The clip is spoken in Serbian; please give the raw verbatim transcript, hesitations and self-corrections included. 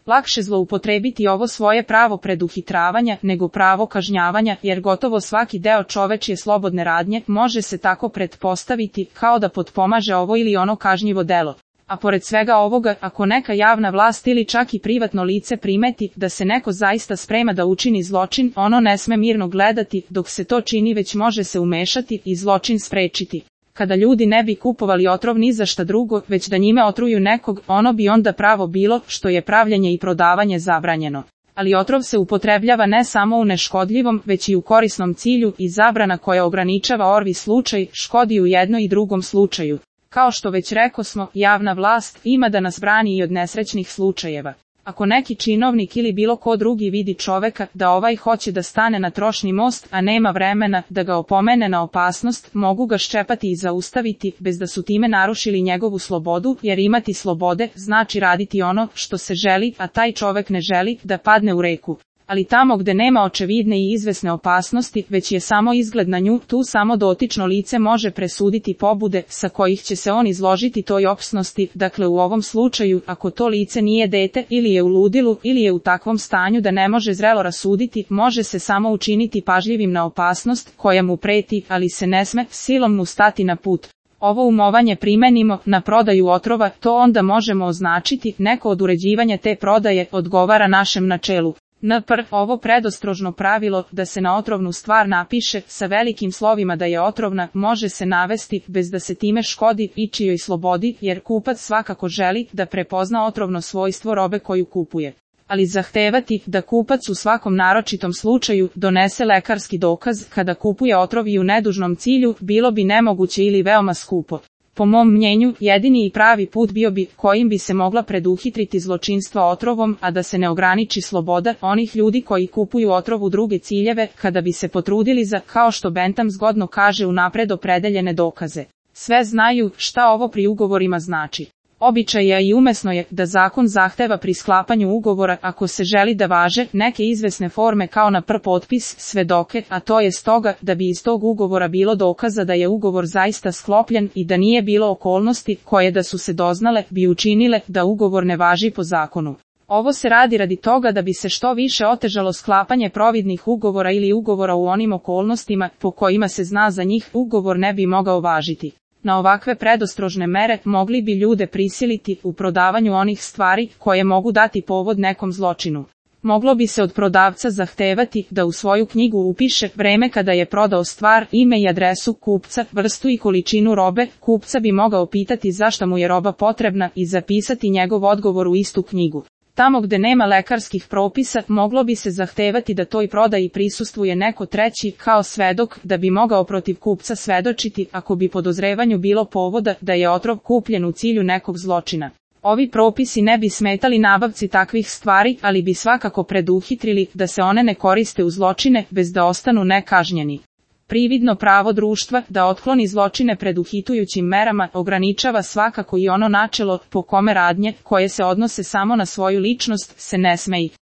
Lakše zloupotrebiti ovo svoje pravo preduhitravanja nego pravo kažnjavanja, jer gotovo svaki deo čovečje slobodne radnje može se tako pretpostaviti kao da potpomaže ovo ili ono kažnjivo delo. A pored svega ovoga, ako neka javna vlast ili čak i privatno lice primeti da se neko zaista sprema da učini zločin, ono ne sme mirno gledati dok se to čini, već može se umešati i zločin sprečiti. Kada ljudi ne bi kupovali otrov ni za šta drugo, već da njime otruju nekog, ono bi onda pravo bilo, što je pravljenje i prodavanje zabranjeno. Ali otrov se upotrebljava ne samo u neškodljivom, već i u korisnom cilju, i zabrana koja ograničava orvi slučaj škodi u jednom i drugom slučaju. Kao što već rekosmo, javna vlast ima da nas brani i od nesrećnih slučajeva. Ako neki činovnik ili bilo ko drugi vidi čoveka da ovaj hoće da stane na trošni most, a nema vremena da ga opomene na opasnost, mogu ga ščepati i zaustaviti, bez da su time narušili njegovu slobodu, jer imati slobode znači raditi ono što se želi, a taj čovek ne želi da padne u reku. Ali tamo gde nema očevidne i izvesne opasnosti, već je samo izgled na nju, tu samo dotično lice može presuditi pobude sa kojih će se on izložiti toj opasnosti. Dakle, u ovom slučaju, ako to lice nije dete, ili je u ludilu, ili je u takvom stanju da ne može zrelo rasuditi, može se samo učiniti pažljivim na opasnost koja mu preti, ali se ne sme silom mu stati na put. Ovo umovanje primenimo na prodaju otrova, to onda možemo označiti, neko od uređivanja te prodaje odgovara našem načelu. N P R. Ovo predostrožno pravilo da se na otrovnu stvar napiše sa velikim slovima da je otrovna može se navesti bez da se time škodi ičijoj slobodi, jer kupac svakako želi da prepozna otrovno svojstvo robe koju kupuje. Ali zahtevati da kupac u svakom naročitom slučaju donese lekarski dokaz kada kupuje otrov i u nedužnom cilju bilo bi nemoguće ili veoma skupo. Po mom mnjenju, jedini i pravi put bio bi kojim bi se mogla preduhitriti zločinstva otrovom, a da se ne ograniči sloboda onih ljudi koji kupuju otrov u druge ciljeve, kada bi se potrudili za, kao što Bentham zgodno kaže, unapred opredeljene dokaze. Sve znaju šta ovo pri ugovorima znači. Običaj je i umesno je da zakon zahteva pri sklapanju ugovora, ako se želi da važe, neke izvesne forme kao na pr potpis, svedoke, a to je stoga da bi iz tog ugovora bilo dokaza da je ugovor zaista sklopljen i da nije bilo okolnosti koje da su se doznale bi učinile da ugovor ne važi po zakonu. Ovo se radi radi toga da bi se što više otežalo sklapanje providnih ugovora ili ugovora u onim okolnostima po kojima se zna za njih ugovor ne bi mogao važiti. Na ovakve predostrožne mere mogli bi ljude prisiliti u prodavanju onih stvari koje mogu dati povod nekom zločinu. Moglo bi se od prodavca zahtevati da u svoju knjigu upiše vreme kada je prodao stvar, ime i adresu kupca, vrstu i količinu robe. Kupca bi mogao pitati zašto mu je roba potrebna i zapisati njegov odgovor u istu knjigu. Tamo gde nema lekarskih propisa, moglo bi se zahtevati da toj prodaji prisustvuje neko treći kao svedok, da bi mogao protiv kupca svedočiti ako bi podozrevanju bilo povoda da je otrov kupljen u cilju nekog zločina. Ovi propisi ne bi smetali nabavci takvih stvari, ali bi svakako preduhitrili da se one ne koriste u zločine bez da ostanu nekažnjeni. Prividno pravo društva da otkloni zločine preduhitujućim merama ograničava svakako i ono načelo po kome radnje, koje se odnose samo na svoju ličnost, se ne sme ih